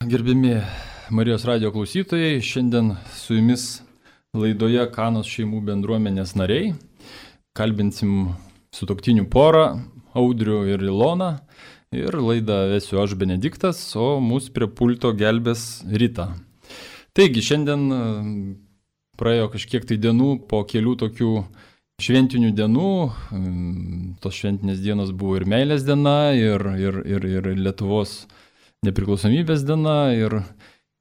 Gerbimi Marijos radijo klausytojai, šiandien su jumis laidoje Kanos šeimų bendruomenės nariai. Kalbinsim sutuoktinių porą, Audrių ir Iloną. Ir laidą vesiu aš Benediktas, o mūsų prie pulto gelbės Rita. Taigi, šiandien praėjo kažkiek tai dienų po kelių tokių šventinių dienų. Tos šventinės dienos buvo ir meilės diena, ir Lietuvos nepriklausomybės diena, ir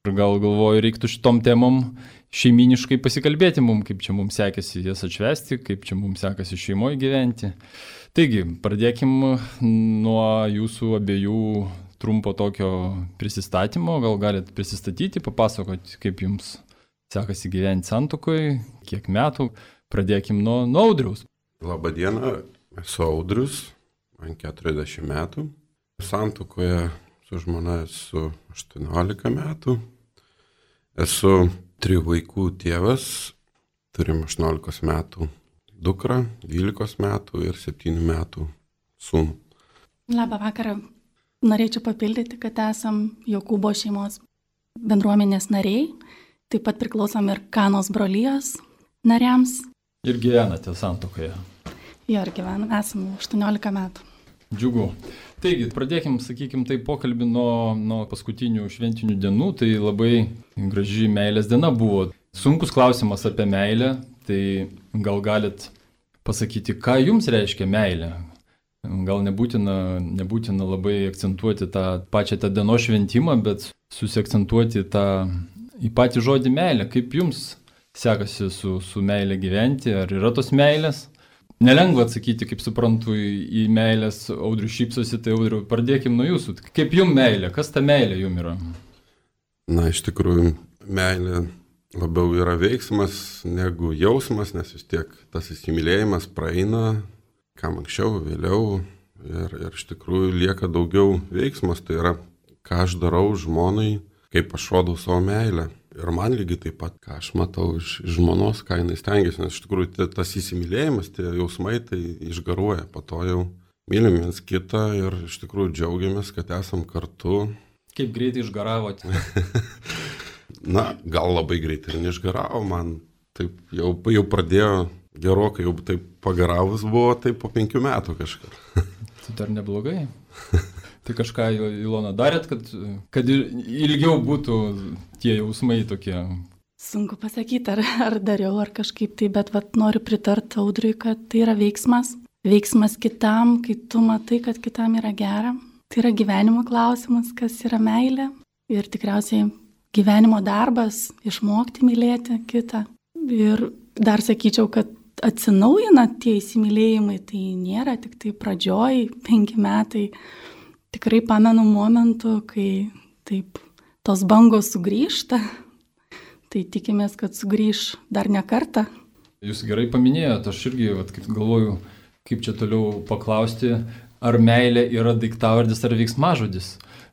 gal galvoju, reiktų šitom temom šeiminiškai pasikalbėti mums, kaip čia mums sekėsi jas atšvesti, kaip čia mums sekasi šeimoje gyventi. Taigi, pradėkim nuo jūsų abiejų trumpo tokio prisistatymo. Gal galit prisistatyti, papasakoti, kaip jums sekasi gyventi santuokoje, kiek metų. Pradėkim nuo Audriaus. Labą dieną, esu Audrius, man 40 metų. Santuokoje su žmona esu 18 metų. Esu 3 vaikų tėvas, turim 18 metų dukrą, 12 metų ir 7 metų sūnų. Labą vakarą. Norėčiau papildyti, kad esam Jokūbo šeimos bendruomenės nariai, taip pat priklausom ir Kanos brolijos nariams. Ir gyvenate santuokoje. Jo, ir gyvenam, esam 18 metų. Džiugu. Taigi, pradėkim, sakykim, tai pokalbį nuo paskutinių šventinių dienų. Tai labai graži meilės diena buvo. Sunkus klausimas apie meilę. Tai gal galit pasakyti, ką jums reiškia meilė? Gal nebūtina labai akcentuoti tą pačią tą dienos šventimą, bet susiakcentuoti į patį žodį meilę. Kaip jums sekasi su meilė gyventi? Ar yra tos meilės? Nelengva atsakyti, kaip suprantu, į meilės. Audrius šypsosi, tai Audriu, pradėkim nuo jūsų. Kaip jums meilė? Kas ta meilė jums yra? Na, iš tikrųjų, meilė labiau yra veiksmas negu jausmas, nes vis tiek tas įsimylėjimas praeina, kam anksčiau, vėliau. Ir iš tikrųjų lieka daugiau veiksmas. Tai yra, ką aš darau žmonai, kaip aš rodau savo meilę. Ir man lygiai taip pat, ką aš matau iš žmonos, ką jinai stengiasi, nes iš tikrųjų tas įsimylėjimas, tie jausmai tai išgaruoja, po to jau mylim viens kitą ir iš tikrųjų džiaugiamės, kad esam kartu. Kaip greitai išgaravote? Na, gal labai greitai ir neišgaravo, man taip jau pradėjo gerokai, jau taip pagaravus buvo, taip po 5 metų kažką. Tai dar neblogai. Tai kažką, Ilona, darėt, kad ilgiau būtų tie jausmai tokie? Sunku pasakyti, ar dariau, ar kažkaip tai, bet noriu pritarti Audriui, kad tai yra veiksmas. Veiksmas kitam, kai tu matai, kad kitam yra gera. Tai yra gyvenimo klausimas, kas yra meilė. Ir tikriausiai gyvenimo darbas, išmokti mylėti kitą. Ir dar sakyčiau, kad atsinaujina tie įsimylėjimai, tai nėra tik tai pradžioj 5 metai. Tikrai pamenu momentų, kai taip tos bangos sugrįžta, tai tikimės, kad sugrįž dar ne kartą. Jūs gerai paminėjote, aš irgi galvoju, kaip čia toliau paklausti, ar meilė yra daiktavardis ar veiksmažodis.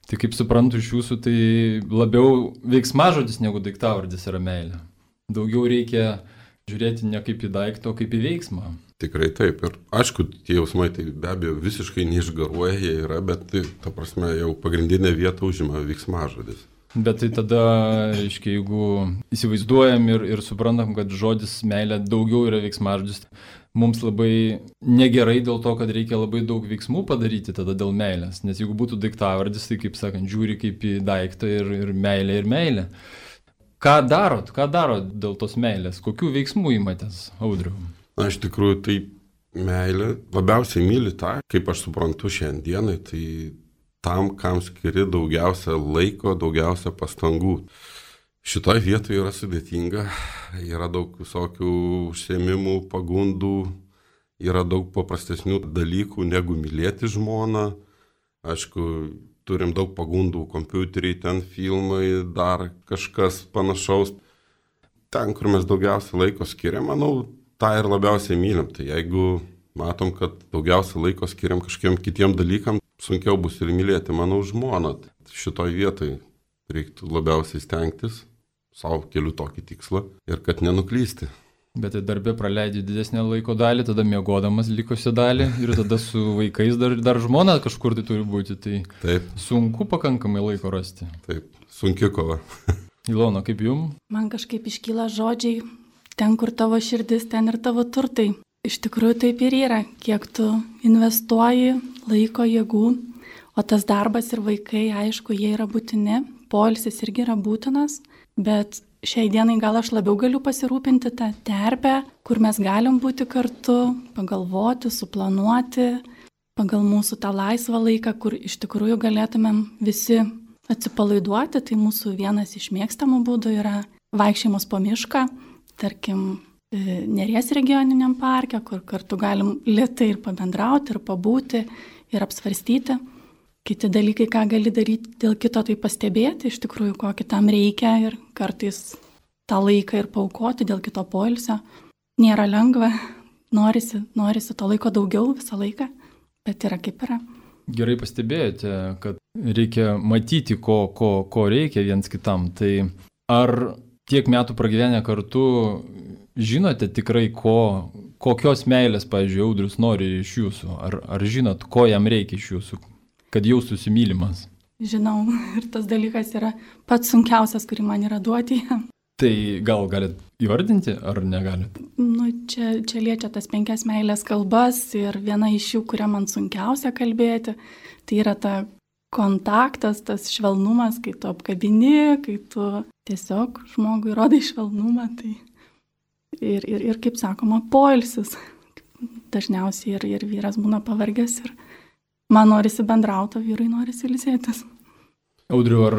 Tai kaip suprantu iš jūsų, tai labiau veiksmažodis negu daiktavardis yra meilė. Daugiau reikia žiūrėti ne kaip į daiktą, o kaip į veiksmą. Tikrai taip. Ir aišku, tie jausmai tai be abejo visiškai neišgaruoja, jie yra, bet tai, ta prasme, jau pagrindinę vietą užima veiksmažodis. Bet tai tada, reiškia, jeigu įsivaizduojam ir suprantam, kad žodis meilė daugiau yra veiksmažodis, mums labai negerai dėl to, kad reikia labai daug veiksmų padaryti tada dėl meilės. Nes jeigu būtų daiktavardis, tai, kaip sakant, žiūri kaip į daiktą ir meilė. Ką darot dėl tos meilės? Kokių veiksmų imatės, Audriau? Na, iš tikrųjų, tai meilė labiausiai myli tą, kaip aš suprantu šiandienai, tai tam, kam skiri daugiausia laiko, daugiausia pastangų. Šitoje vietoje yra sudėtinga, yra daug visokių užsiėmimų, pagundų, yra daug paprastesnių dalykų negu mylėti žmoną. Aišku, turim daug pagundų, kompiuteriai, ten filmai, dar kažkas panašaus. Ten, kur mes daugiausia laiko skiriam, manau, tą ir labiausiai mylim. Tai jeigu matom, kad daugiausia laiko skiriam kažkiem kitiem dalykam, sunkiau bus ir mylėti, manau, žmoną. Šitoj vietoj reiktų labiausiai stengtis, savo keliu tokį tikslą ir kad nenuklysti. Bet tai darbė praleidži didesnę laiko dalį, tada miegodamas likusią dalį ir tada su vaikais dar žmona kažkur tai turi būti. Tai Taip, sunku pakankamai laiko rasti. taip, sunki kova. Ilona, kaip jum? Man kažkaip iškyla žodžiai, ten kur tavo širdis, ten ir tavo turtai. Iš tikrųjų taip ir yra, kiek tu investuoji laiko, jėgų, o tas darbas ir vaikai, aišku, jie yra būtini, poilsis irgi yra būtinas, bet šiai dienai gal aš labiau galiu pasirūpinti tą terpę, kur mes galim būti kartu, pagalvoti, suplanuoti, pagal mūsų tą laisvą laiką, kur iš tikrųjų galėtumėm visi atsipalaiduoti. Tai mūsų vienas iš mėgstamų būdų yra vaikščiojimas po mišką, tarkim, Neries regioniniam parke, kur kartu galim lėtai ir pabendrauti, ir pabūti, ir apsvarstyti. Kiti dalykai, ką gali daryti dėl kito, tai pastebėti iš tikrųjų, ko kitam reikia ir kartais tą laiką ir paaukoti dėl kito poilsio. Nėra lengva, norisi to laiko daugiau visą laiką, bet yra kaip yra. Gerai pastebėjote, kad reikia matyti, ko reikia viens kitam. Tai ar tiek metų pragyvenę kartu žinote tikrai, kokios meilės, pavyzdžiui, Audrius nori iš jūsų? Ar žinot, ko jam reikia iš jūsų, kad jaustųsi mylimas? Žinau, ir tas dalykas yra pats sunkiausias, kurį man yra duoti jam. Tai gal galit įvardinti, ar negalit? Čia liečia tas 5 meilės kalbas ir viena iš jų, kurią man sunkiausia kalbėti, tai yra ta kontaktas, tas švelnumas, kai tu apkabini, kai tu tiesiog žmogui rodai švelnumą. Tai ir kaip sakoma, poilsis. Dažniausiai ir vyras būna pavargęs ir man norisi bendrauti, vyrui norisi ilsėtis. Audriu, ar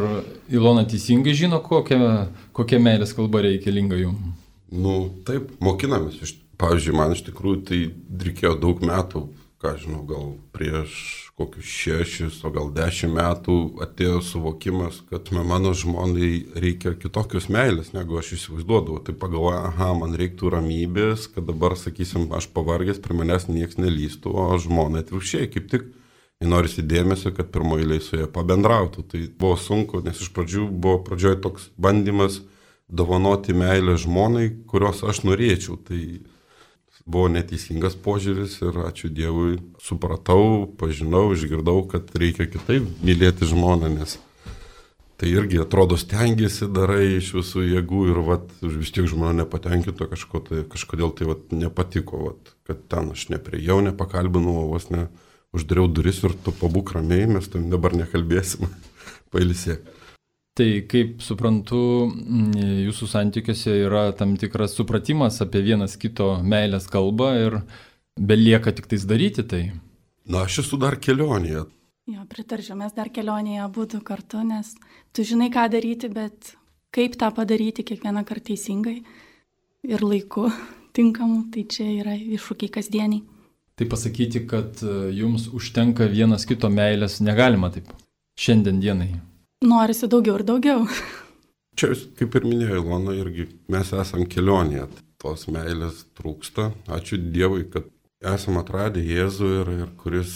Ilona teisingai žino, kokia meilės kalba reikalinga jums? Taip, mokinamės. Pavyzdžiui, man iš tikrųjų tai reikėjo daug metų, ką žinau, gal prieš kokius 6, o gal 10 metų atėjo suvokimas, kad mano žmonai reikia kitokios meilės, negu aš įsivaizduodavau. Tai pagalvoju, man reiktų ramybės, kad dabar, sakysim, aš pavargęs, prie manęs nieks nelystų, o žmonai atvirkščiai, kaip tik norisi dėmesio, kad pirmoje eilėje su jie pabendrautų. Tai buvo sunku, nes iš pradžių buvo pradžioje toks bandymas dovanoti meilę žmonai, kurios aš norėčiau. Tai buvo neteisingas požiūris ir ačiū Dievui supratau, pažinau, išgirdau, kad reikia kitaip mylėti žmoną, nes tai irgi atrodo stengiasi, darai iš visų jėgų ir vis tiek žmona nepatenkinto kažkodėl tai nepatiko, kad ten aš nepriejau, nepakalbinau, vos ne uždariau duris ir tu pabūk ramiai, mes tam dabar nekalbėsim, pailsėk. Tai kaip suprantu, jūsų santykiuose yra tam tikras supratimas apie vienas kito meilės kalbą ir belieka tik tais daryti tai. Aš esu dar kelionėje. Jo, pritarčiau, mes dar kelionėje būtų kartu, nes tu žinai, ką daryti, bet kaip tą padaryti kiekvieną kartą teisingai ir laiku tinkamu, tai čia yra iššūkiai kasdieniai. Tai pasakyti, kad jums užtenka vienas kito meilės, negalima taip šiandien dienai. Norisi daugiau ir daugiau. Čia, kaip ir minėjo Ilona, irgi mes esam kelionėje. Tos meilės trūksta. Ačiū Dievui, kad esam atradę Jėzų ir kuris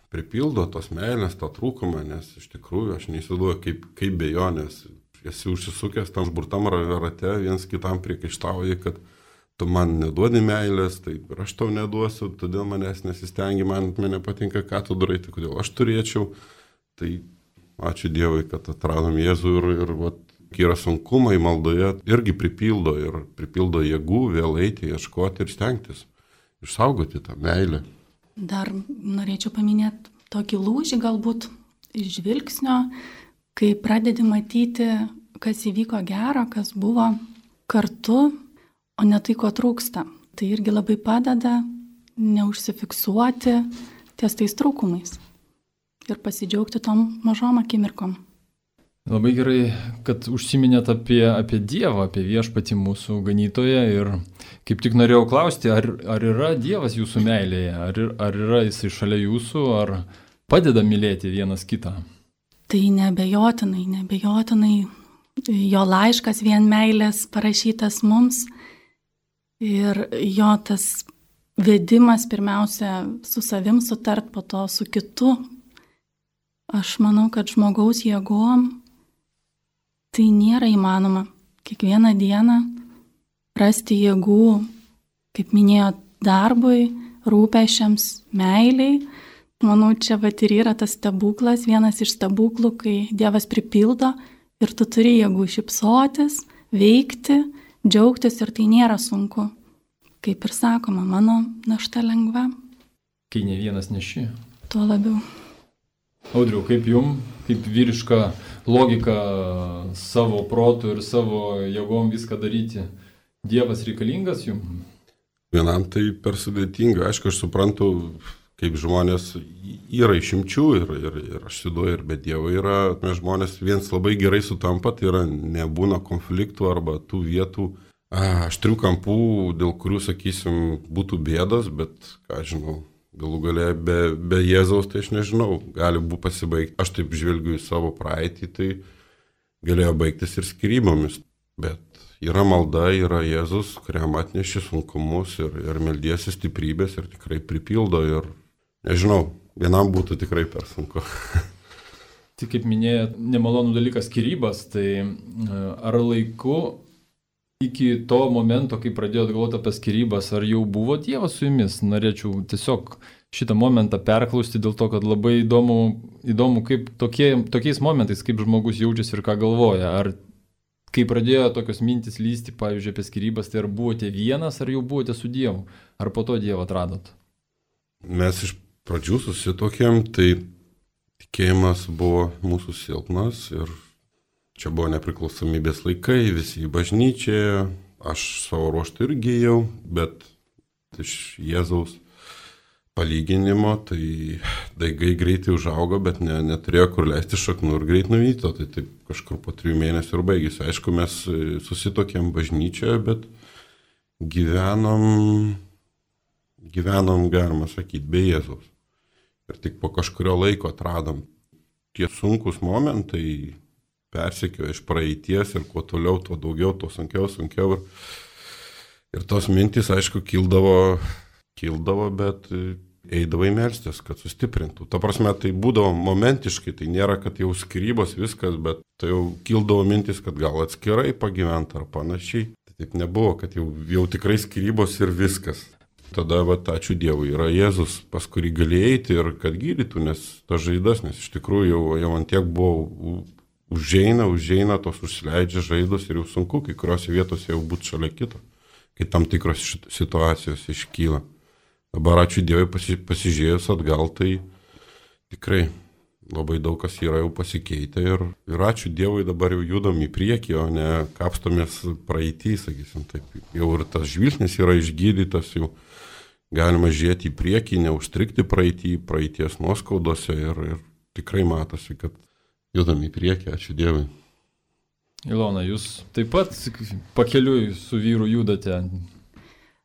pripildo tos meilės, tą trūkumą, nes iš tikrųjų aš neįsivaizduoju, kaip be jo, nes esi užsisukęs tam užburtam rate, viens kitam priekaištauji, kad tu man neduodi meilės, taip ir aš tau neduosiu, todėl manęs nesistengi, man nepatinka, ką tu darai, tai kodėl aš turėčiau. Tai ačiū Dievui, kad atradom Jėzų ir yra sunkumai maldoje, irgi pripildo jėgų vėl eiti, ieškoti ir stengtis, išsaugoti tą meilę. Dar norėčiau paminėti tokį lūžį galbūt iš žvilgsnio, kai pradedi matyti, kas įvyko gero, kas buvo kartu, o ne tai, ko trūksta. Tai irgi labai padeda neužsifiksuoti ties tais trūkumais ir pasidžiaugti tom mažom akimirkom. Labai gerai, kad užsiminėt apie Dievą, apie viešpatį mūsų ganytoją ir kaip tik norėjau klausti, ar yra Dievas jūsų meilėje, ar yra jisai šalia jūsų, ar padeda mylėti vienas kitą? Tai neabejotinai jo laiškas vien meilės parašytas mums ir jo tas vedimas pirmiausia su savim sutart, po to su kitu. Aš manau, kad žmogaus jėgom tai nėra įmanoma kiekvieną dieną rasti jėgų kaip minėjo, darbui, rūpešiams, meiliai. Manau, čia vat ir yra tas stebuklas, vienas iš stebuklų, kai Dievas pripildo ir tu turi jėgų šypsotis, veikti, džiaugtis ir tai nėra sunku. Kaip ir sakoma, mano našta lengva. Kai ne vienas neši. Tuo labiau. Audriau, kaip jum, kaip vyriška logika savo protų ir savo jėgom viską daryti, Dievas reikalingas jum? Vienam tai per sudėtinga. Aišku, aš suprantu, kaip žmonės yra išimčių ir aš siduoju, ir be Dievo yra, mes žmonės viens labai gerai sutampa, tai yra nebūna konfliktų arba tų vietų, aštrių kampų, dėl kurių, sakysim, būtų bėdos, bet, ką žinau, galų gale be Jėzaus, tai aš nežinau, gali būti pasibaigti. Aš taip žvelgiu į savo praeitį, tai galėjo baigtis ir skyrybomis, bet yra malda, yra Jėzus, kuriam atneši sunkumus ir meldiesi stiprybės ir tikrai pripildo ir, nežinau, vienam būtų tikrai per sunku. Tai kaip minėjot, nemalonų dalykas skyrybas, tai ar laiku iki to momento, kai pradėjot galvoti apie skyrybas, ar jau buvo Dievas su jumis? Norėčiau tiesiog šitą momentą perklausti dėl to, kad labai įdomu kaip tokiais momentais, kaip žmogus jaučiasi ir ką galvoja. Ar kai pradėjo tokios mintis lysti, pavyzdžiui, apie skyrybas, tai ar buvote vienas, ar jau buvote su Dievu? Ar po to Dievą atradot? Mes iš pradžių susitokėm, tai tikėjimas buvo mūsų silpnas ir čia buvo nepriklausomybės laikai, visi į bažnyčią, aš savo ruoštų irgi ėjau, bet iš Jėzaus palyginimo, tai daigai greitai užaugo, bet neturėjo kur leisti šaknų ir greit nuvyto, tai taip kažkur po 3 mėnesių ir baigėsi. Aišku, mes susitokėm bažnyčioje, bet gyvenom, galima sakyti, be Jėzaus. Ir tik po kažkurio laiko atradom tie sunkus momentai, persekiojo iš praeities ir kuo toliau, tuo daugiau, tuo sunkiau. Ir tos mintys, aišku, kildavo, bet eidavo į melstis, kad sustiprintų. Ta prasme, tai būdavo momentiškai, tai nėra, kad jau skyrybos viskas, bet tai jau kildavo mintis, kad gal atskirai pagyventi ar panašiai. Tai taip nebuvo, kad jau tikrai skyrybos ir viskas. Tada, ačiū Dievui, yra Jėzus, pas kurį gali eiti ir kad gydytų, nes tas žaidas, nes iš tikrųjų jau ant tiek buvo užeina, tos užsileidžia žaidos ir jau sunku, kai kuriuose vietose jau būti šalia kito, kai tam tikros situacijos iškyla. Dabar ačiū Dievui pasižiūrėjus atgal, tai tikrai labai daug kas yra jau pasikeitę ir ačiū Dievui dabar jau judam į priekį, o ne kapstomės praeitį, sakysim, taip. Jau ir tas žvilgsnis yra išgydytas, jau galima žiūrėti į priekį, neužstrikti praeities nuoskaudose ir tikrai matosi, kad judam į priekį, ačiū Dievui. Ilona, jūs taip pat pakeliui su vyru judate?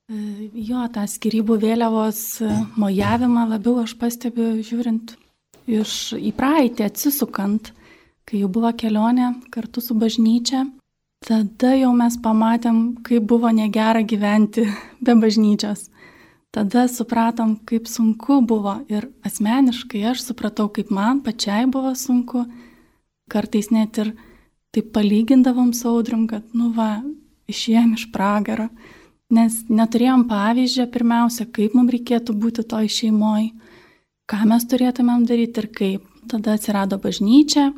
Jo, tą skyrybų vėliavos mojavimą labiau aš pastebiu žiūrint į praeitį, atsisukant, kai jau buvo kelionė kartu su bažnyčia. Tada jau mes pamatėm, kaip buvo negera gyventi be bažnyčios. Tada supratom, kaip sunku buvo ir asmeniškai aš supratau, kaip man pačiai buvo sunku. Kartais net ir taip palygindavom su Audrium, kad, išėjom iš pragaro, nes neturėjom pavyzdžio pirmiausia, kaip mums reikėtų būti toj šeimoj, ką mes turėtumėm daryti ir kaip. Tada atsirado bažnyčia,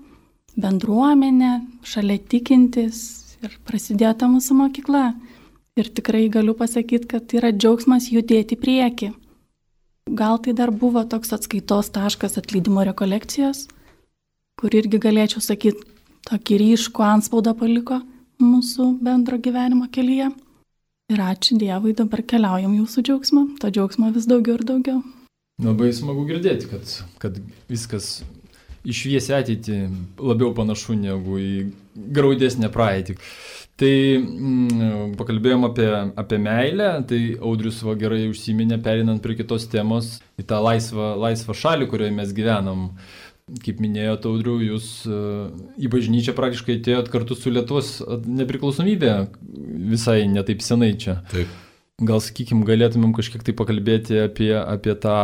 bendruomenė, šalia tikintis ir prasidėjo ta mūsų mokykla. Ir tikrai galiu pasakyti, kad yra džiaugsmas judėti į priekį. Gal tai dar buvo toks atskaitos taškas atleidimo rekolekcijos, kur irgi galėčiau sakyti, tokį ryškų antspaudą paliko mūsų bendro gyvenimo kelyje. Ir ačiū Dievui, dabar keliaujam jūsų džiaugsmą, to džiaugsmo vis daugiau ir daugiau. Labai smagu girdėti, kad viskas į šviesią ateitį labiau panašu negu į graudesnę praeitį. Tai pakalbėjom apie meilę, tai Audrius gerai užsiminė, perinant prie kitos temos, į tą laisvą šalį, kurioje mes gyvenam. Kaip minėjote, Audriu, jūs į bažnyčią praktiškai atėjot kartu su Lietuvos nepriklausomybė visai netaip senai čia. Taip. Gal, sakykim, galėtumėm kažkiek tai pakalbėti apie tą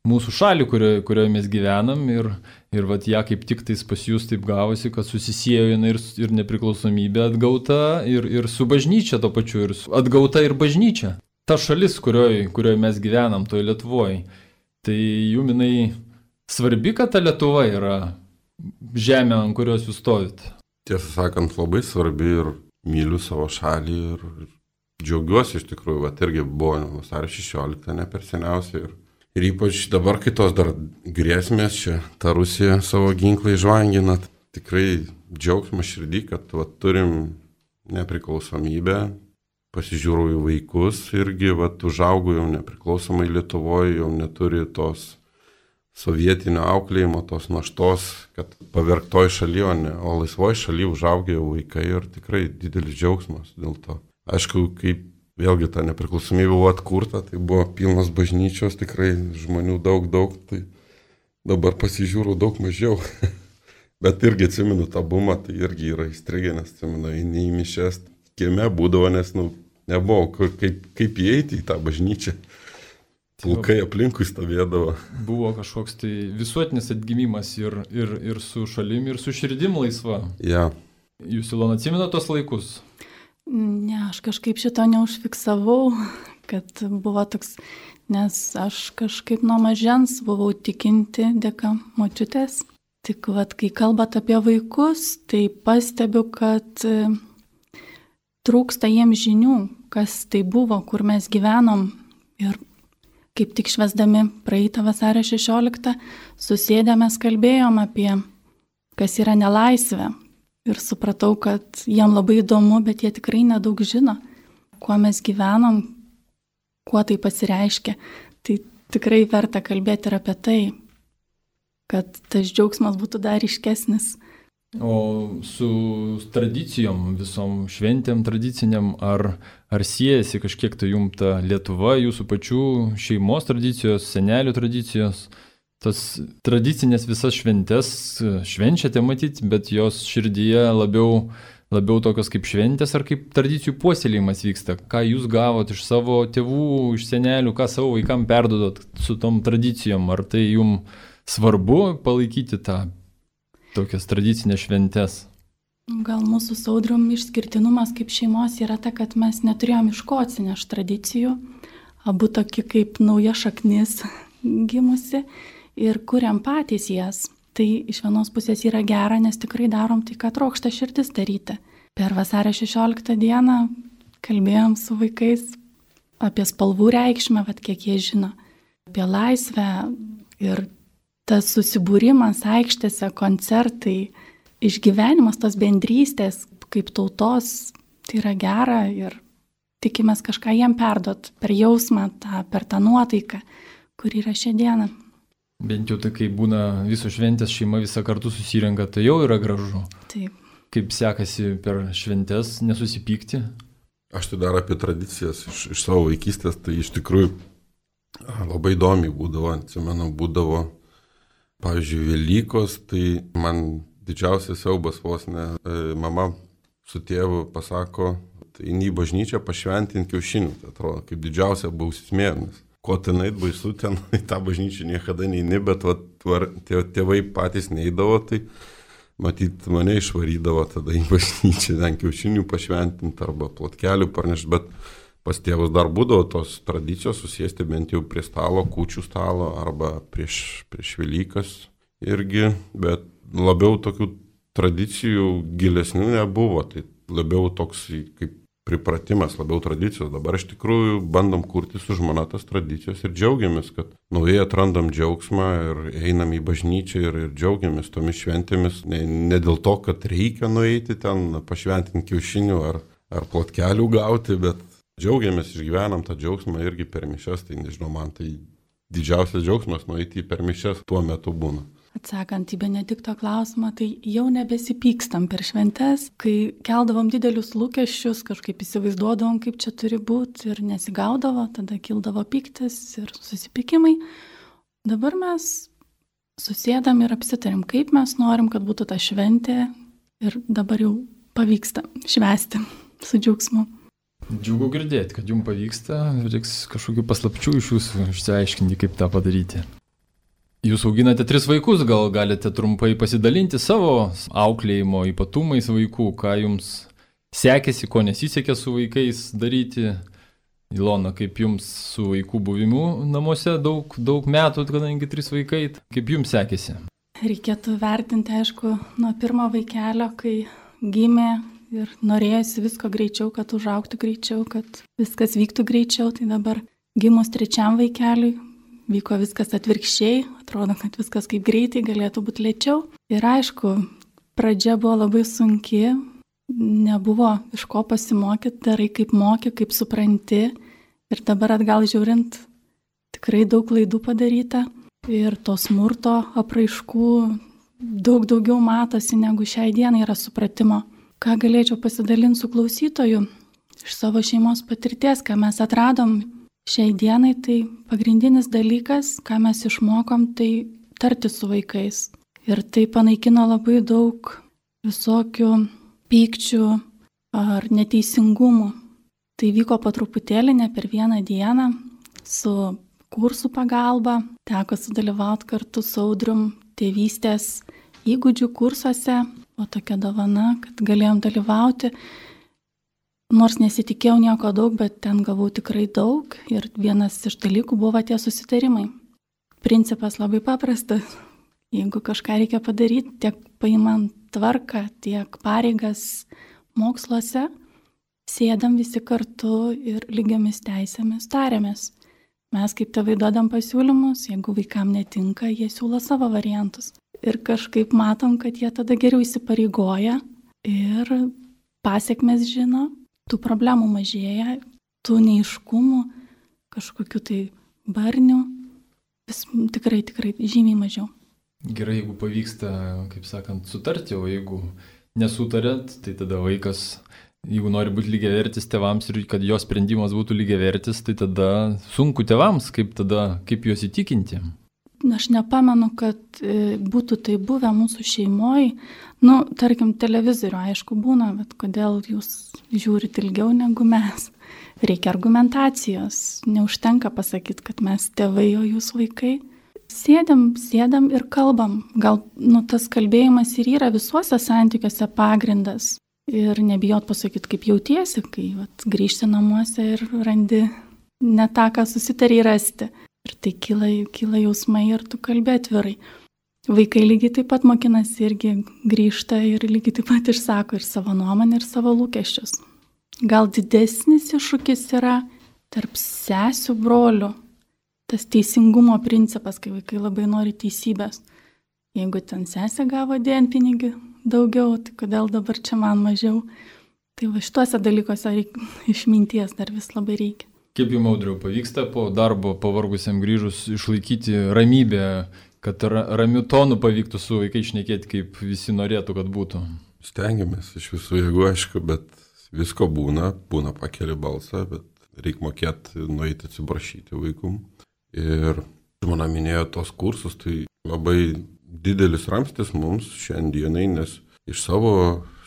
mūsų šalį, kurioje mes gyvenam ir ją kaip tik tais pas jūs taip gavosi, kad susisiejo ir nepriklausomybė atgauta ir su bažnyčia to pačiu, ir atgauta ir bažnyčia. ta šalis, kurioje mes gyvenam, toje Lietuvoje, tai jum jinai svarbi, kad ta Lietuva yra žemė, ant kurios jūs stovit? Tiesą sakant, labai svarbi ir myliu savo šalį ir džiaugiuosi iš tikrųjų, va, irgi buvo vasario 16, ne per seniausiai. Ir ypač dabar, kai tos dar grėsmės čia, ta Rusija savo ginklai žvangina, tikrai džiaugsmas širdį, kad va, turim nepriklausomybę, pasižiūrau į vaikus irgi, va, užaugau jau nepriklausomai Lietuvoje, jau neturi tos sovietinio auklėjimo, tos naštos, kad pavergtoj šalyje, o laisvoj šalyje užaugė jau vaikai ir tikrai didelis džiaugsmas dėl to. Aišku, kaip vėlgi ta nepriklausomybė buvo atkurta, tai buvo pilnas bažnyčios, tikrai žmonių daug, tai dabar pasižiūrau daug mažiau. Bet irgi atsimenu tą bumą, tai irgi yra įstrigę, nes atsimenu, eini į mišes, kieme būdavo, nes nebuvo kaip įeiti į tą bažnyčią. Pulkai aplinkui stovėdavo. Buvo kažkoks tai visuotinis atgimimas ir su šalim, ir su širdim laisva. Ja. Jūs, Ilona, atsimenate tos laikus? Ne, aš kažkaip šito neužfiksavau, kad buvo toks, nes aš kažkaip nuo mažens buvau tikinti dėka močiutės. Tik vat, kai kalbat apie vaikus, tai pastebiu, kad trūksta jiems žinių, kas tai buvo, kur mes gyvenom. Ir kaip tik švęsdami praeitą vasario 16, susėdę mes kalbėjom apie, kas yra nelaisvė. Ir supratau, kad jiem labai įdomu, bet jie tikrai nedaug žino, kuo mes gyvenom, kuo tai pasireiškia. Tai tikrai verta kalbėti ir apie tai, kad tas džiaugsmas būtų dar ryškesnis. O su tradicijom, visom šventėm tradiciniam, ar siejasi kažkiek tai jum ta Lietuva, jūsų pačių šeimos tradicijos, senelių tradicijos? Tas tradicinės visas šventės švenčiate matyti, bet jos širdyje labiau tokios kaip šventės ar kaip tradicijų puoselėjimas vyksta. Ką jūs gavot iš savo tėvų, iš senelių, ką savo vaikam perdodot su tom tradicijom? Ar tai jum svarbu palaikyti tą tokias tradicinės šventės? Gal mūsų su Audrium išskirtinumas kaip šeimos yra ta, kad mes neturėjom iš ko atsinešti tradicijų, abu tokie kaip nauja šaknis gimusi. Ir kuriam patys jas. Tai iš vienos pusės yra gera, nes tikrai darom tai, ką trokšta širdis daryti. Per vasario 16 dieną kalbėjom su vaikais apie spalvų reikšmę, kiek jie žino, apie laisvę ir tas susibūrimas aikštėse, koncertai, išgyvenimas tos bendrystės kaip tautos, tai yra gera ir tikimės kažką jiem perduot per jausmą, per tą nuotaiką, kur yra šią dieną. Bent jau tai, kai būna visos šventės, šeima visą kartu susirenka, tai jau yra gražu. Taip. Kaip sekasi per šventės nesusipykti? Aš tai dar apie tradicijas iš savo vaikystės, tai iš tikrųjų labai įdomiai būdavo. Atsimenu, būdavo, pavyzdžiui, Velykos, tai man didžiausias siaubas vos ne. Mama su tėvu pasako, tai eini į bažnyčią pašventinti kiaušinių. Tai atrodo, kaip didžiausia bausmė, nes ko ten eit baisu, ten į tą bažnyčią niekada neini, bet tėvai patys neidavo, tai matyt mane išvarydavo tada į bažnyčią, ten kiaušinių pašventinti arba plotkelių parnešti, bet pas tėvus dar būdavo tos tradicijos susėsti bent jau prie stalo, kūčių stalo arba prieš Velykas irgi, bet labiau tokių tradicijų gilesnių nebuvo, tai labiau toks kaip pripratimas, labiau tradicijos. Dabar iš tikrųjų bandom kurti su žmona tas tradicijos ir džiaugiamės, kad naujai atrandam džiaugsmą ir einam į bažnyčią ir džiaugiamės tomis šventėmis. Ne dėl to, kad reikia nueiti ten, pašventinti kiaušinių ar plotkelių gauti, bet džiaugiamės, išgyvenam tą džiaugsmą irgi per mišias. Tai nežinau, man tai didžiausias džiaugsmas nueiti per mišias tuo metu būna. Atsakant į Benedikto klausimą, tai jau nebesipykstam per šventes, kai keldavom didelius lūkesčius, kažkaip įsivaizduodavom, kaip čia turi būti ir nesigaudavo, tada kildavo pyktis ir susipykimai. Dabar mes susėdam ir apsitarim, kaip mes norim, kad būtų ta šventė ir dabar jau pavyksta švęsti su džiaugsmu. Džiugu girdėti, kad jums pavyksta, reiks kažkokių paslapčių iš jūsų išsiaiškinti, kaip tą padaryti. Jūs auginate 3 vaikus, gal galite trumpai pasidalinti savo auklėjimo ypatumais vaikų, ką jums sekėsi, ko nesisekė su vaikais daryti, Ilona, kaip jums su vaikų buvimu namuose daug metų, kadangi 3 vaikai, kaip jums sekėsi? Reikėtų vertinti, aišku, nuo pirmo vaikelio, kai gimė ir norėjosi visko greičiau, kad užaugtų greičiau, kad viskas vyktų greičiau. Tai dabar gimus 3 vaikeliui vyko viskas atvirkščiai, atrodo, kad viskas kaip greitai galėtų būti lėčiau. Ir aišku, pradžia buvo labai sunki, nebuvo iš ko pasimokyti, darai kaip moki, kaip supranti. Ir dabar atgal žiūrint, tikrai daug klaidų padaryta. Ir to smurto apraiškų daug daugiau matosi, negu šiai dienai yra supratimo. Ką galėčiau pasidalinti su klausytoju iš savo šeimos patirties, ką mes atradom šiai dienai, tai pagrindinis dalykas, ką mes išmokom, tai tarti su vaikais. Ir tai panaikino labai daug visokių pykčių ar neteisingumų. Tai vyko po truputėlį, ne per vieną dieną, su kursų pagalba. Teko sudalyvauti kartu su Audrium tėvystės įgūdžių kursuose, o tokia dovana, kad galėjom dalyvauti. Nors nesitikėjau nieko daug, bet ten gavau tikrai daug ir vienas iš dalykų buvo tie susitarimai. Principas labai paprastas. Jeigu kažką reikia padaryti, tiek paimant tvarką, tiek pareigas moksluose, sėdam visi kartu ir lygiomis teisėmis tariamės. Mes kaip tėvai duodam pasiūlymus, jeigu vaikam netinka, jie siūlo savo variantus. Ir kažkaip matom, kad jie tada geriau įsipareigoja ir pasiekmes žino, tų problemų mažėja, tų neiškumų, kažkokių tai barnių, vis tikrai žymiai mažiau. Gerai, jeigu pavyksta, kaip sakant, sutarti, o jeigu nesutarėt, tai tada vaikas, jeigu nori būti lygiavertis tėvams ir kad jo sprendimas būtų lygiavertis, tai tada sunku tėvams, kaip juos įtikinti. Aš nepamenu, kad būtų tai buvę mūsų šeimoje. Tarkim, televizorių aišku būna, bet kodėl jūs žiūrite ilgiau negu mes? Reikia argumentacijos. Neužtenka pasakyti, kad mes tėvai, o jūs vaikai. Sėdam ir kalbam. Gal tas kalbėjimas ir yra visuose santykiuose pagrindas. Ir nebijot pasakyti, kaip jautiesi, kai grįžti namuose ir randi ne tą, ką susitarė rasti. Ir tai kyla jausmai ir tu kalbė atvirai. Vaikai lygiai taip pat mokinasi irgi grįžta ir lygiai taip pat išsako ir savo nuomonę, ir savo lūkesčius. Gal didesnis iššūkis yra tarp sesių brolių. Tas teisingumo principas, kai vaikai labai nori teisybės. Jeigu ten sesė gavo dienpinigį daugiau, tai kodėl dabar čia man mažiau? Tai šituose dalykuose išminties dar vis labai reikia. Kaip jums, Audriau, pavyksta po darbo pavargusiam grįžus išlaikyti ramybę, kad ramių tonų pavyktų su vaikai šnekėti, kaip visi norėtų, kad būtų? Stengiamės iš visų jėgų, aišku, bet visko būna pakeli balsą, bet reikia mokėti nueiti atsiprašyti vaikum. Ir žmona minėjo tos kursus, tai labai didelis ramstis mums šiandienai, nes iš savo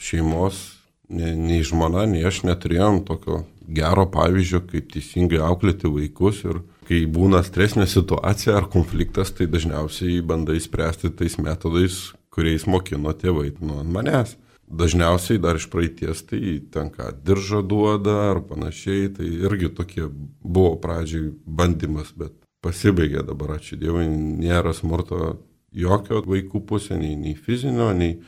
šeimos nei žmona, nei aš neturėjom tokio gero pavyzdžio, kaip teisingai auklėti vaikus. Ir kai būna stresinė situacija ar konfliktas, tai dažniausiai bandai spręsti tais metodais, kuriais mokino tėvai nuo manęs. Dažniausiai dar iš praeities tai tenka diržą duoda ar panašiai, tai irgi tokie buvo pradžiai bandymas, bet pasibaigė dabar, ačiū Dievui, nėra smurto jokio vaikų pusė, nei fizinio, nei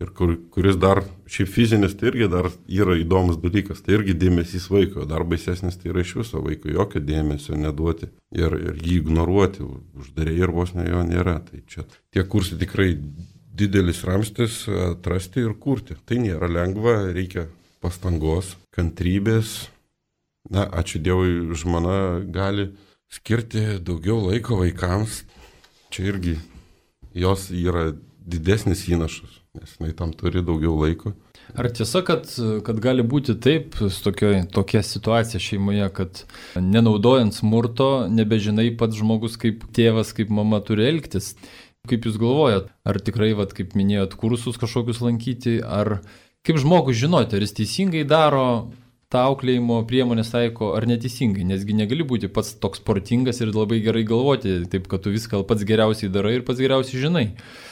ir kuris dar, šiaip fizinis, tai irgi dar yra įdomus dalykas, tai irgi dėmesys vaiko, dar baisesnis tai yra iš viso vaiko, jokio dėmesio neduoti ir jį ignoruoti, uždarėjai ir vos ne jo nėra. Tai čia tie kursai tikrai didelis ramstis atrasti ir kurti. Tai nėra lengva, reikia pastangos, kantrybės. Ačiū Dievui, žmona gali skirti daugiau laiko vaikams. Čia irgi jos yra didesnis įnašas, nes jinai tam turi daugiau laiko. Ar tiesa, kad gali būti taip, tokia situacija šeimoje, kad nenaudojant smurto, nebežinai pats žmogus kaip tėvas, kaip mama turi elgtis? Kaip jūs galvojat, ar tikrai, kaip minėjot, kursus kažkokius lankyti, ar kaip žmogus žinoti, ar jis teisingai daro, tą auklėjimo priemonės taiko ar neteisingai, nesgi negali būti pats toks sportingas ir labai gerai galvoti, taip kad tu viską pats geriausiai darai ir pats geriausiai žinai.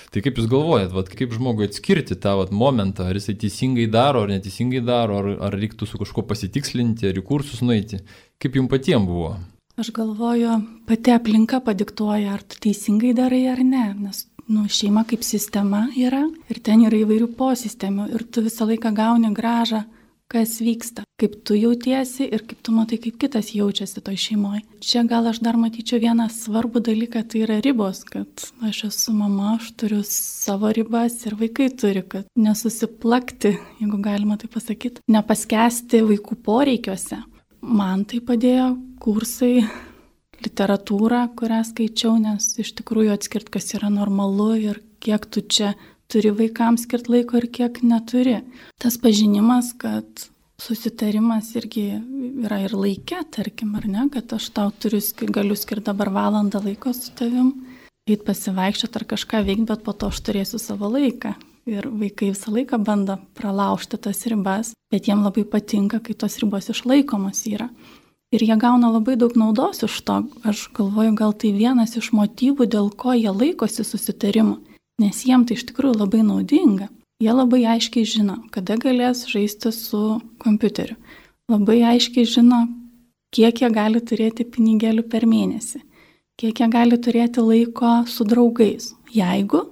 Tai kaip jūs galvojat, kaip žmogui atskirti tą momentą, ar jisai teisingai daro, ar neteisingai daro, ar reiktų su kažkuo pasitikslinti, ar į kursus nueiti? Kaip jums patiems buvo? Aš galvoju, pati aplinka padiktuoja, ar tu teisingai darai ar ne, nes šeima kaip sistema yra ir ten yra įvairių posistemių ir tu visą laiką gauni grąžą, kas vyksta, kaip tu jautiesi ir kaip tu matai, kaip kitas jaučiasi toj šeimoje. Čia gal aš dar matyčiau vieną svarbų dalyką, tai yra ribos, kad aš esu mama, aš turiu savo ribas ir vaikai turi, kad nesusiplakti, jeigu galima tai pasakyti, nepaskesti vaikų poreikiuose. Man tai padėjo kursai, literatūra, kurią skaičiau, nes iš tikrųjų atskirt, kas yra normalu ir kiek tu čia turi vaikams skirti laiko ir kiek neturi. Tas pažinimas, kad susitarimas irgi yra ir laike, tarkim, ar ne, kad aš tau galiu skirti dabar valandą laiko su tavim, eit pasivaikščioti ar kažką veikti, bet po to aš turėsiu savo laiką. Ir vaikai visą laiką bando pralaužti tas ribas, bet jiem labai patinka, kai tos ribos išlaikomos yra. Ir jie gauna labai daug naudos iš to. Aš galvoju, gal tai vienas iš motyvų, dėl ko jie laikosi susitarimų. Nes jiem tai iš tikrųjų labai naudinga. Jie labai aiškiai žino, kada galės žaisti su kompiuteriu. Labai aiškiai žino, kiek jie gali turėti pinigėlių per mėnesį. Kiek jie gali turėti laiko su draugais, jeigu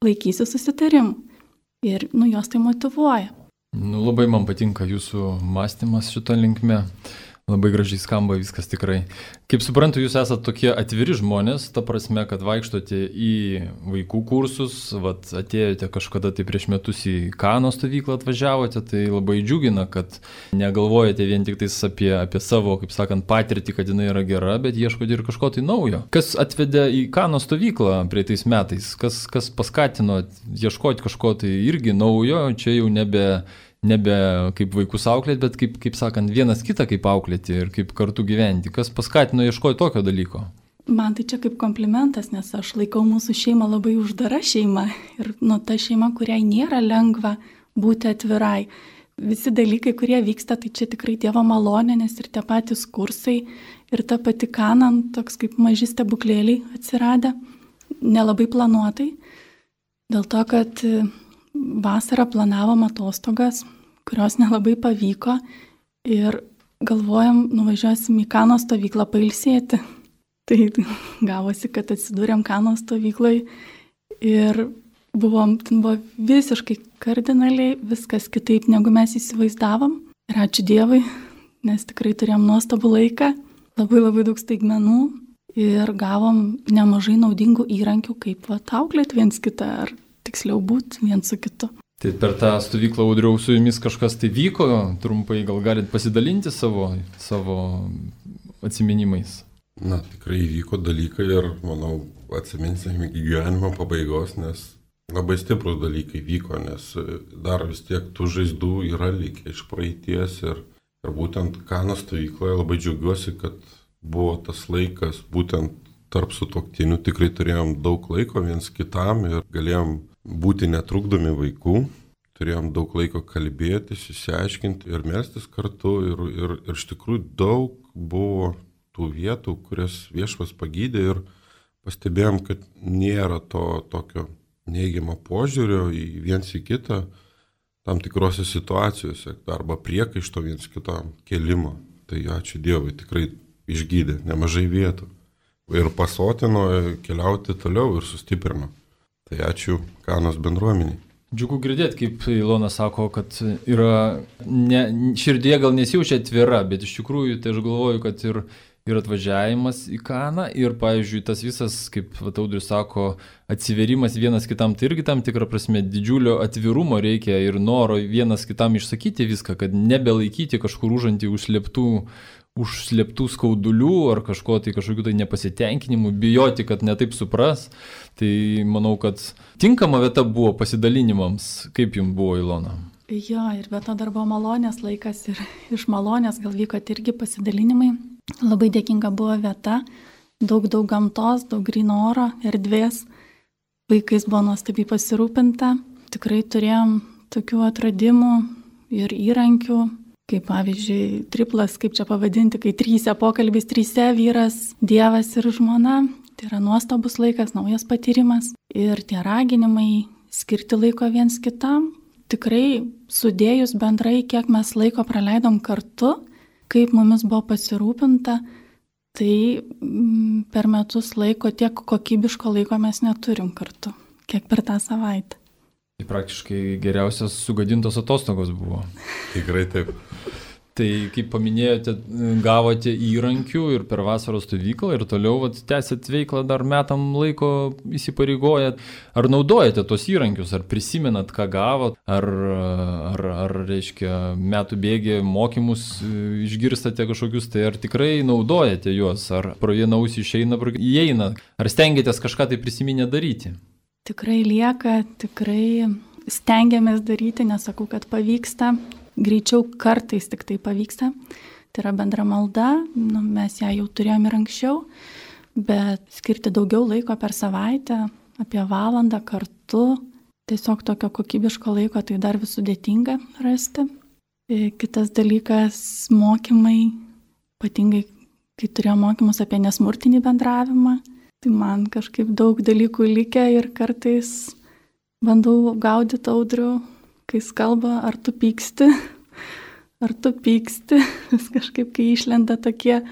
laikysi susitarimų. Ir juos tai motyvuoja. Labai man patinka jūsų mąstymas šito linkme. Labai gražiai skamba viskas tikrai. Kaip suprantu, jūs esate tokie atviri žmonės, ta prasme, kad vaikštote į vaikų kursus, atėjote kažkada tai prieš metus į Kano stovyklą atvažiavote, tai labai džiugina, kad negalvojate vien tik tais apie savo, kaip sakant, patirtį, kad jinai yra gera, bet ieškote ir kažko tai naujo. Kas atvedė į Kano stovyklą praeitais metais? Kas paskatino ieškoti kažko tai irgi naujo, čia jau nebe kaip vaikus auklėti, bet kaip sakant, vienas kitą kaip auklėti ir kaip kartu gyventi. Kas paskatino ieškoti tokio dalyko? Man tai čia kaip komplimentas, nes aš laikau mūsų šeimą labai uždara šeima ir ta šeima, kuriai nėra lengva būti atvirai. Visi dalykai, kurie vyksta, tai čia tikrai Dievo malonė, nes ir tie patys kursai ir ta pati Kanan, toks kaip maži stebuklėliai atsiradę, nelabai planuotai, dėl to, kad vasarą planavom atostogas, kurios nelabai pavyko ir galvojam, nuvažiuosim į Kano stovyklą pailsėti. Tai gavosi, kad atsidūrėm Kano stovyklai ir buvo visiškai kardinaliai viskas kitaip, negu mes įsivaizdavom. Ir ačiū Dievui, nes tikrai turėjom nuostabų laiką, labai daug staigmenų ir gavom nemažai naudingų įrankių, kaip auklėti viens kitą ar tiksliau būti vien su kitu. Tai per tą stovyklą, Audriau, su jumis kažkas tai vyko, trumpai gal galit pasidalinti savo atsiminimais? Tikrai vyko dalykai ir, manau, atsiminsim iki gyvenimo pabaigos, nes labai stiprus dalykai vyko, nes dar vis tiek tų žaizdų yra likę iš praeities ir būtent Kano stovykloje labai džiaugiuosi, kad buvo tas laikas būtent tarp sutuoktinių, tikrai turėjom daug laiko viens kitam ir galėjom būti netrukdomi vaikų, turėjom daug laiko kalbėtis, išsiaiškinti ir melstis kartu ir iš tikrųjų daug buvo tų vietų, kurias Viešpats pagydė ir pastebėjom, kad nėra to tokio neigiamo požiūrio į viens į kitą tam tikrose situacijose arba priekaišto viens kitam kelimo. Tai ačiū Dievui, tikrai išgydė nemažai vietų ir pasotino keliauti toliau ir sustiprino. Tai ačiū Kanos bendruomeniai. Džiugu girdėti, kaip Ilona sako, kad yra širdie gal nesijaučia atvira, bet iš tikrųjų tai aš galvoju, kad ir atvažiavimas į Kaną ir, pavyzdžiui, tas visas, kaip Audrius sako, atsiverimas vienas kitam, tai irgi tam tikrą prasme didžiulio atvirumo reikia ir noro vienas kitam išsakyti viską, kad nebelaikyti kažkur užantį užslėptų skaudulių ar kažkokių tai nepasitenkinimų, bijoti, kad netaip supras. Tai manau, kad tinkama vieta buvo pasidalinimams. Kaip jums buvo, Ilona? Jo, ir be to dar buvo malonės laikas ir iš malonės gal vyko irgi pasidalinimai. Labai dėkinga buvo vieta, daug gamtos, daug gryno oro, erdvės. Vaikais buvo nuostabiai pasirūpinta. Tikrai turėjom tokių atradimų ir įrankių. kaip pavyzdžiui, triplas, kaip čia pavadinti, kai trysia pokalbis, trysia vyras, Dievas ir žmona. Tai yra nuostabus laikas, naujas patyrimas. Ir tie raginimai skirti laiko viens kitam, tikrai sudėjus bendrai, kiek mes laiko praleidom kartu, kaip mumis buvo pasirūpinta, tai per metus laiko tiek kokybiško laiko mes neturim kartu, kiek per tą savaitę. Tai praktiškai geriausias sugadintos atostogos buvo. Tikrai taip. Tai, kaip paminėjote, gavote įrankių ir per vasaros stovyklą ir toliau tęsėt veiklą dar metam laiko įsipareigojat. Ar naudojate tos įrankius, ar prisimenat, ką gavot, ar reiškia, metų bėgė mokymus išgirstate kažkokius, tai ar tikrai naudojate juos, ar pro vieną ausį išeina, įeina, ar stengiatės kažką tai prisiminę daryti? Tikrai lieka, tikrai stengiamės daryti, nesakau, kad pavyksta. Greičiau kartais tik tai pavyksta. Tai yra bendra malda, mes ją jau turėjome ir anksčiau, bet skirti daugiau laiko per savaitę, apie valandą kartu, tiesiog tokio kokybiško laiko tai dar vis sudėtinga rasti. Kitas dalykas - mokymai, ypatingai kai turėjau mokymus apie nesmurtinį bendravimą, tai man kažkaip daug dalykų likę ir kartais bandau gaudyti Audrių, kai jis kalba, ar tu pyksti, vis kažkaip, kai išlenda tokie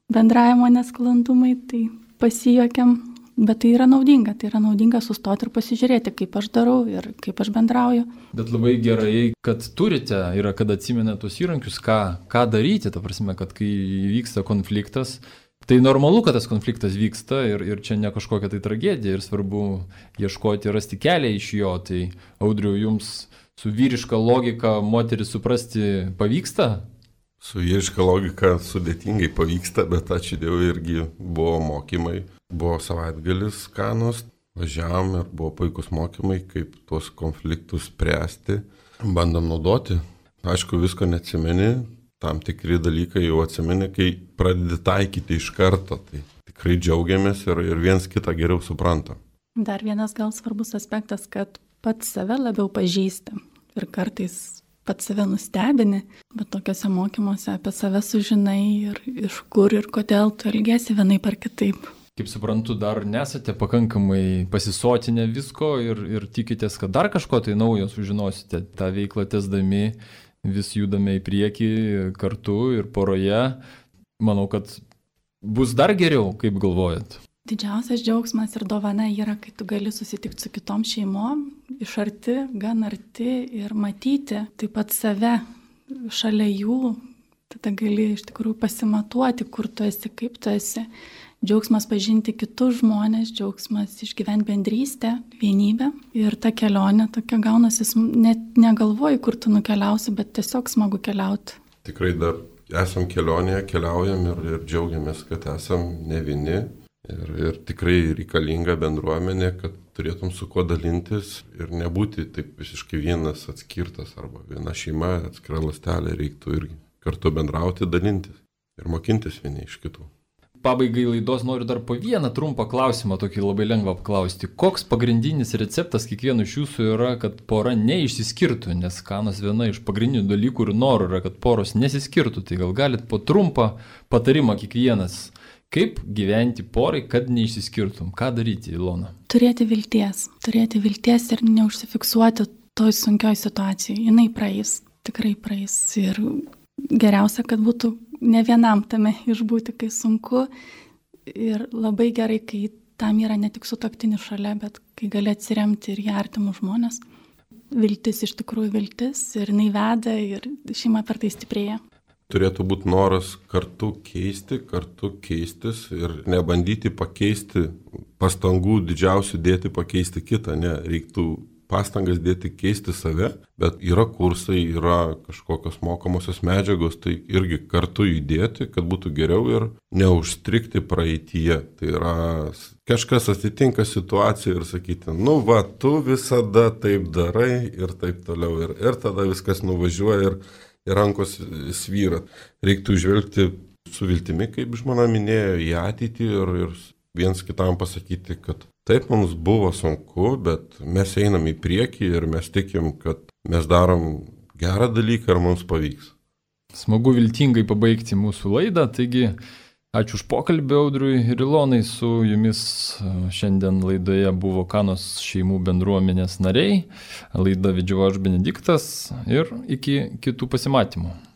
bendravimo nesklandumai, tai pasijuokiam, bet tai yra naudinga sustoti ir pasižiūrėti, kaip aš darau ir kaip aš bendrauju. Bet labai gerai, kad turite ir kad atsimenate tos įrankius, ką daryti, ta prasme, kad kai vyksta konfliktas, tai normalu, kad tas konfliktas vyksta ir čia ne kažkokia tai tragedija ir svarbu ieškoti, rasti kelią iš jo. Tai Audriau, jums su vyriška logika moterį suprasti pavyksta? Su vyriška logika sudėtingai pavyksta, bet ačiū Dievui irgi buvo mokymai. Buvo savaitgalis Kanos, važiavom ir buvo puikus mokymai, kaip tuos konfliktus spręsti. Bandom naudoti. Aišku, visko neatsimeni, tam tikri dalykai jau atsimeni, kai pradedi taikyti iš karto. Tai tikrai džiaugiamės ir viens kitą geriau suprantam. Dar vienas gal svarbus aspektas, kad pats save labiau pažįsti ir kartais pats save nustebini, bet tokiuose mokymuose apie save sužinai ir iš kur ir kodėl tu elgiesi vienaip ar kitaip. Kaip suprantu, dar nesate pakankamai pasisotinę visko ir tikitės, kad dar kažko tai naujo sužinosite. Ta veiklą tęsdami vis judame į priekį kartu ir poroje. Manau, kad bus dar geriau, kaip galvojat. Didžiausias džiaugsmas ir dovana yra, kai tu gali susitikti su kitom šeimom, iš arti, gan arti ir matyti taip pat save šalia jų. Tada gali iš tikrųjų pasimatuoti, kur tu esi, kaip tu esi. Džiaugsmas pažinti kitus žmonės, džiaugsmas išgyventi bendrystę, vienybę. Ir ta kelionė tokia gaunasi, net negalvoji, kur tu nukeliausi, bet tiesiog smagu keliauti. Tikrai dar esam kelionėje, keliaujam ir džiaugiamės, kad esam ne vieni. Ir tikrai reikalinga bendruomenė, kad turėtum su kuo dalintis ir nebūti taip visiškai vienas atskirtas arba viena šeima, atskira ląstelė, reiktų irgi kartu bendrauti, dalintis ir mokintis vieni iš kitų. Pabaigai laidos noriu dar po vieną trumpą klausimą, tokį labai lengvą apklausti. Koks pagrindinis receptas kiekvieno iš jūsų yra, kad pora neišsiskirtų, nes Kanos viena iš pagrindinių dalykų ir norų yra, kad poros nesiskirtų. Tai gal galit po trumpą patarimą kiekvienas, kaip gyventi porai, kad neišsiskirtum? Ką daryti, Ilona? Turėti vilties ir neužsifiksuoti toj sunkioj situacijai. Jinai praeis, tikrai praeis. Ir geriausia, kad būtų ne vienam tame išbūti, kai sunku. Ir labai gerai, kai tam yra ne tik sutuoktinis šalia, bet kai gali atsiremti ir į artimus žmonės. Viltis iš tikrųjų viltis ir jinai veda ir šeima per tai stiprėja. Turėtų būti noras kartu keistis ir nebandyti pakeisti, pastangų didžiausių dėti pakeisti kitą, ne, reiktų pastangas dėti keisti save, bet yra kursai, yra kažkokios mokomosios medžiagos, tai irgi kartu judėti, kad būtų geriau ir neužstrikti praeityje. Tai yra kažkas atsitinka situacija ir sakyti, tu visada taip darai ir taip toliau ir tada viskas nuvažiuoja ir rankos svyra. Reiktų žvelgti su viltimi, kaip žmona minėjo, į ateitį ir viens kitam pasakyti, kad taip mums buvo sunku, bet mes einam į priekį ir mes tikim, kad mes darom gerą dalyką ir mums pavyks. Smagu viltingai pabaigti mūsų laidą, taigi ačiū už pokalbį Audriui ir Ilonai, su jumis šiandien laidoje buvo Kanos šeimų bendruomenės nariai, laidą vedžiau aš Benediktas ir iki kitų pasimatymų.